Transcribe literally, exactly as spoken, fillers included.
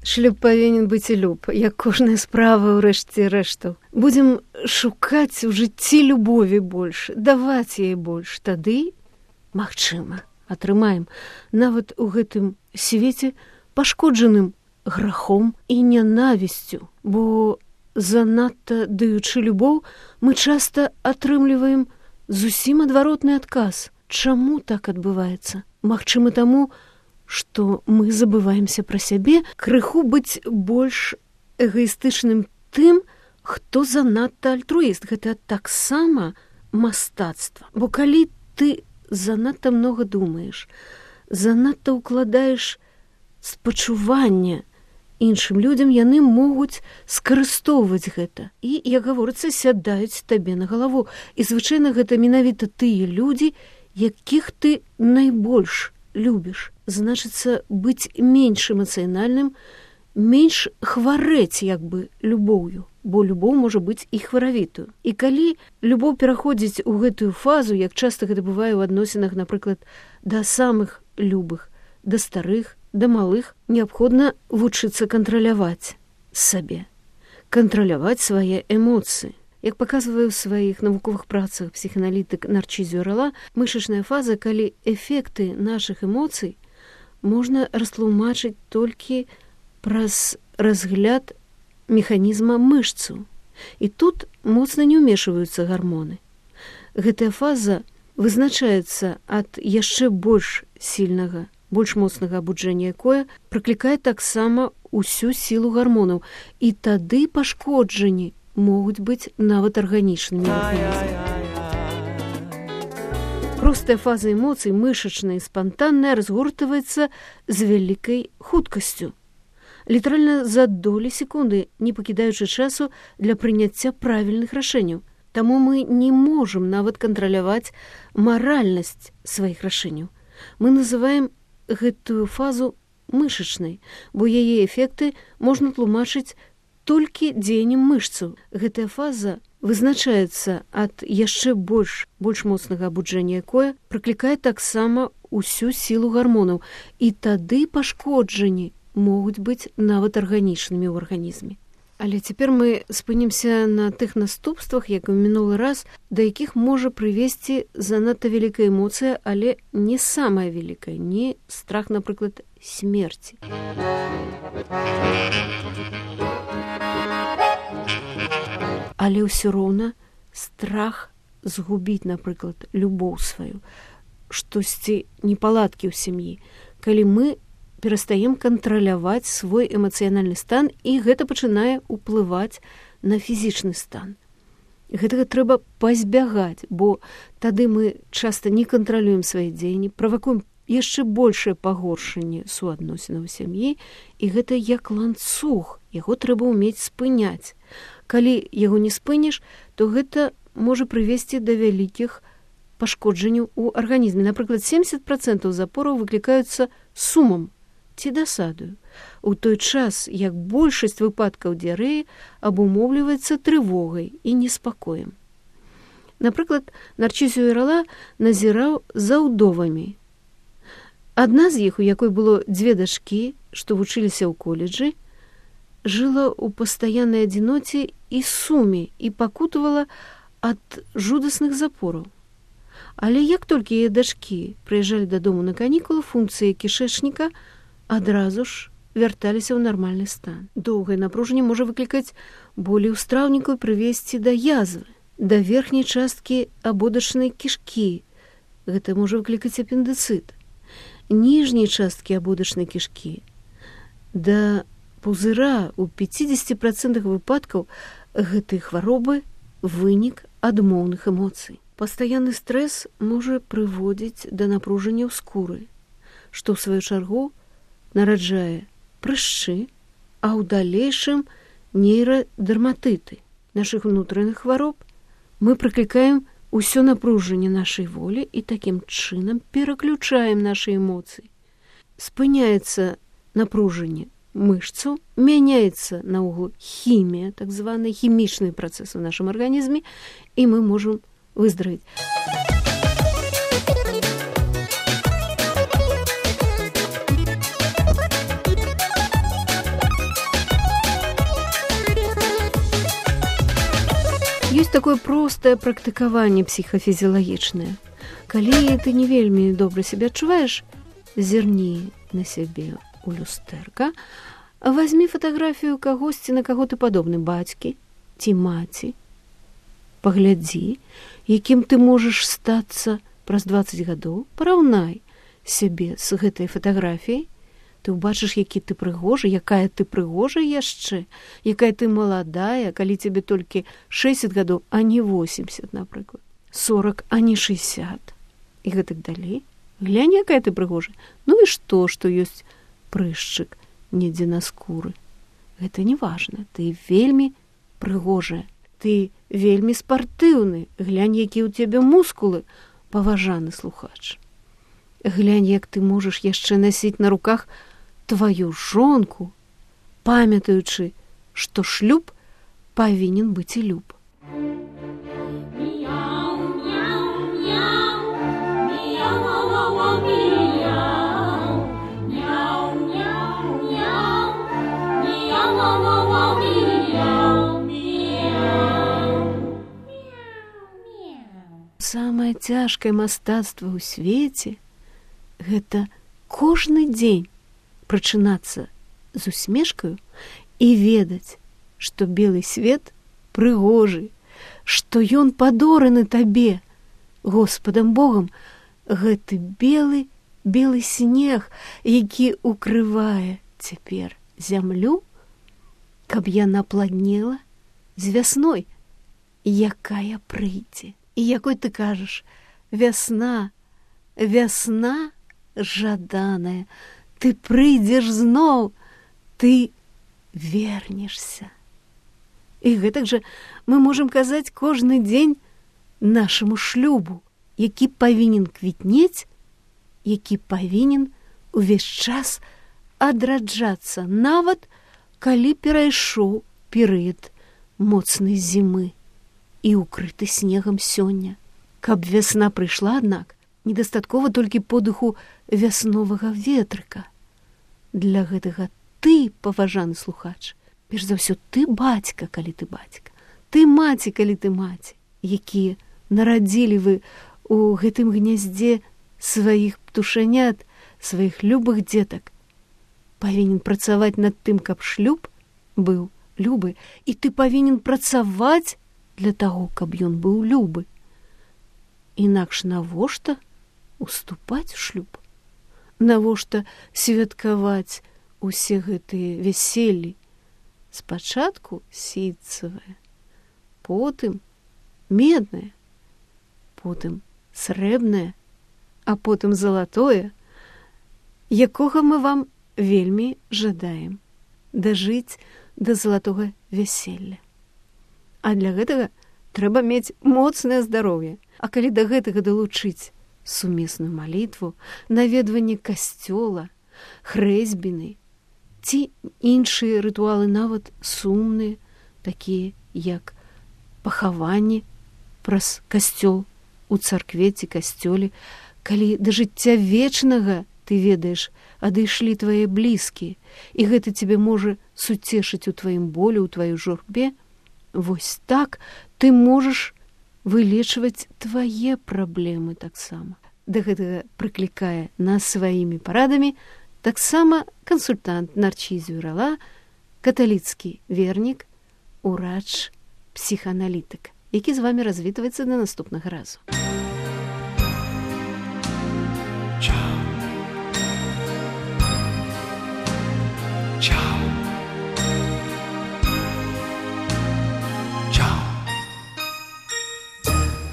Шлюб павінен быць і люб, як кожная справа ў рэшце рэштаў. Будзем шукаць у жыцці любові больш, даваць яе больш. Тады, магчыма, атрымаем нават у гэтым свеце пашкоджаным грахом і нянавісцю, бо занадта даючы любоў, мы часта атрымліваем зусім адваротны адказ. Чаму так адбываецца? Магчыма, таму, што мы забываемся пра сябе, крыху быць больш эгаістычным тым, хто занадта альтруіст. Гэта таксама мастацтва. Бо калі ты занадта многа думаеш, занадта ўкладаеш спачуванне іншым людзям, яны могуць скарыстоўваць гэта. І, як гаворыцца, сядаюць табе на галаву. І, звычайна, гэта менавіта тыя людзі, якіх ты найбольш любіш. Значыцца, быць менш эмацыянальным, менш хварэць як бы любоўю, бо любоў можа быць і хваравітую. І калі любоў пераходзіць у гэтую фазу, як часта гэта бывае ў адносінах, напрыклад, да самых любых, да старых, да малых, неабходна вучыцца кантраляваць сабе, кантраляваць свае эмоцыі. Як паказвае ў сваіх навуковых працах псіхааналітык Нарчізіо Рала, мышачная фаза, калі эфекты нашых эмоцый можна растлумачыць толькі праз разгляд механізма мышцаў. І тут моцна не ўмешваюцца гармоны. Гэтая фаза вызначаецца ад яшчэ больш сільнага, больш моцнага абуджэння, якое прыклікае таксама ўсю сілу гармонаў. І тады пашкоджанні могуць быць нават арганічнымі. Простая фаза эмоцый, мышачная і спантанная, разгортваецца з вялікай хуткасцю. Літаральна за долі секунды, не пакідаючы часу для прыняцця правільных рашэнняў. Таму мы не можам нават кантраляваць маральнасць сваіх рашэнняў. Мы называем гэтую фазу мышачнай, бо яе эфекты можна тлумачыць толькі дзеяннем мышцаў. Гэтая фаза вызначаецца ад яшчэ больш, больш моцнага абуджэння, якое прыклікае таксама ўсю сілу гармонаў. І тады пашкоджанні могуць быць нават арганічнымі ў арганізме. Але цяпер мы спынімся на тых наступствах, як і ў мінулы раз, да якіх можа прывесці занадта вялікая эмоцыя, але не самая вялікая, не страх, напрыклад, смерці. Але ўсё роўна страх згубіць, напрыклад, любоў сваю, штосьці непаладкі ў сям'і, калі мы перастаем кантраляваць свой эмацыянальны стан, і гэта пачынае ўплываць на фізічны стан. Гэтага трэба пазбягаць, бо тады мы часта не кантралюем свае дзеянні, правакуем яшчэ большае пагоршанне суадносінаў у сям'і, і гэта як ланцуг, яго трэба ўмець спыняць. Калі яго не спыніш, то гэта можа прывесці да вялікіх пашкоджанняў у арганізме. Напрыклад, семдзесят працэнтаў запораў выклікаюцца сумам ці дасадаю, у той час, як большасць выпадкаў дыярэі абумоўліваецца трывогай і неспакоем. Напрыклад, Нарчізіо Рала назіраў за ўдовамі. Адна з іх, у якой было дзве дачкі, што вучыліся ў каледжы, жыла ў пастаяннай адзіноце і суме і пакутавала ад жудасных запораў. Але як толькі яе дачкі прыязджалі дадому на канікулы, функцыі кішэчніка адразу ж вярталіся ў нармальны стан. Доўгае напружанне можа выклікаць болі ў страўніку і прывесці да язвы, да верхняй часткі абодачнай кішкі. Гэта можа выклікаць апендыцыт. Ніжняй часткі абодачнай кішкі да пузыра. У пяцідзесяці працэнтах выпадкаў гэтай хваробы вынік адмоўных эмоцый. Пастаянны стрэс можа прыводзіць да напружання ў скуры, што ў сваю чаргу нараджае прышчы, а ў далейшым нейрадэрматыты. Нашых унутраных хвароб мы прыклікаем усё напружанне нашай волі і такім чынам пераключаем нашы эмоцыі. Спыняецца напружанне мышцаў, мяняецца наогул хімія, так званыя хімічныя працэсы ў нашым арганізме, і мы можам выздаравіць. Ёсць такое простае практыкаванне псіхафізіялагічнае. Калі ты не вельмі добра сябе адчуваеш, зірні на сябе у люстэрка, вазьмі фатаграфію кагосьці, на каго ты падобны, бацькі ці маці. Паглядзі, якім ты можаш стацца праз дваццаць гадоў, параўнай сябе з гэтай фатаграфіяй, ты ўбачыш, які ты прыгожы, якая ты прыгожа яшчэ, якая ты маладая, калі цябе толькі шэсцьдзесят гадоў, а не восемьдесят, напрыклад, сорок, а не шэсцьдесят. І гэтак далей. Глянь, якая ты прыгожа. Ну і што, што ёсць прышчык недзе на скуры. Гэта не важна. Ты вельмі прыгожая. Ты вельмі спартыўны. Глянь, якія ў цябе мускулы, паважаны слухач. Глянь, як ты можаш яшчэ насіць на руках тваю жонку, памятаючы, што шлюб павінен быць і люб. Самае цяжкае мастацтва ў свеце – гэта кожны дзень прачынацца з усмешкаю і ведаць, што белы свет прыгожы, што ён падораны табе, Господам Богам, гэты белы, белы снег, які укрывае цяпер зямлю, каб яна пладнела з вясной, якая прыйдзе. І якой ты кажаш, вясна, вясна жаданая, ты прыйдзеш зноў, ты вернешся. І гэтак жа мы можам казаць кожны дзень нашаму шлюбу, які павінен квітнець, які павінен увесь час адраджацца, нават калі перайшоў перыяд моцнай зімы і укрыты снегам сёння. Каб вясна прыйшла, аднак, недастаткова толькі подыху вясновага ветрыка. Для гэтага ты, паважаны слухач, перш за ўсё ты бацька, калі ты бацька, ты маці, калі ты маці, якія нарадзілі вы у гэтым гняздзе сваіх птушанят, сваіх любых дзетак, павінен працаваць над тым, каб шлюб быў любы, і ты павінен працаваць для таго, каб ён быў любы. Інакш навошта уступаць у шлюб? Навошта святкаваць усе гэтыя вяселлі? Спачатку сітцавае, потым меднае, потым срэбнае, а потым залатое, якога мы вам вельмі жадаем дажыць да залатога вяселля. А для гэтага трэба мець моцнае здароўе. А калі да гэтага далучыць сумесную малітву, наведванне касцёла, хрэсьбіны ці іншыя рытуалы, нават сумныя, такія як пахаванне праз касцёл у царкве ці касцёле, калі да жыцця вечнага, ты ведаеш, адышлі твае блізкія, і гэта цябе можа суцешыць у тваім болі, у тваёй журбе, вось так ты можаш вылечваць твае праблемы таксама. Да гэтага прыклікае нас сваімі парадамі таксама кансультант Нарчіз Вюрала, каталіцкі вернік, урач, псіхааналітык, які з вамі развітваецца да наступнага разу.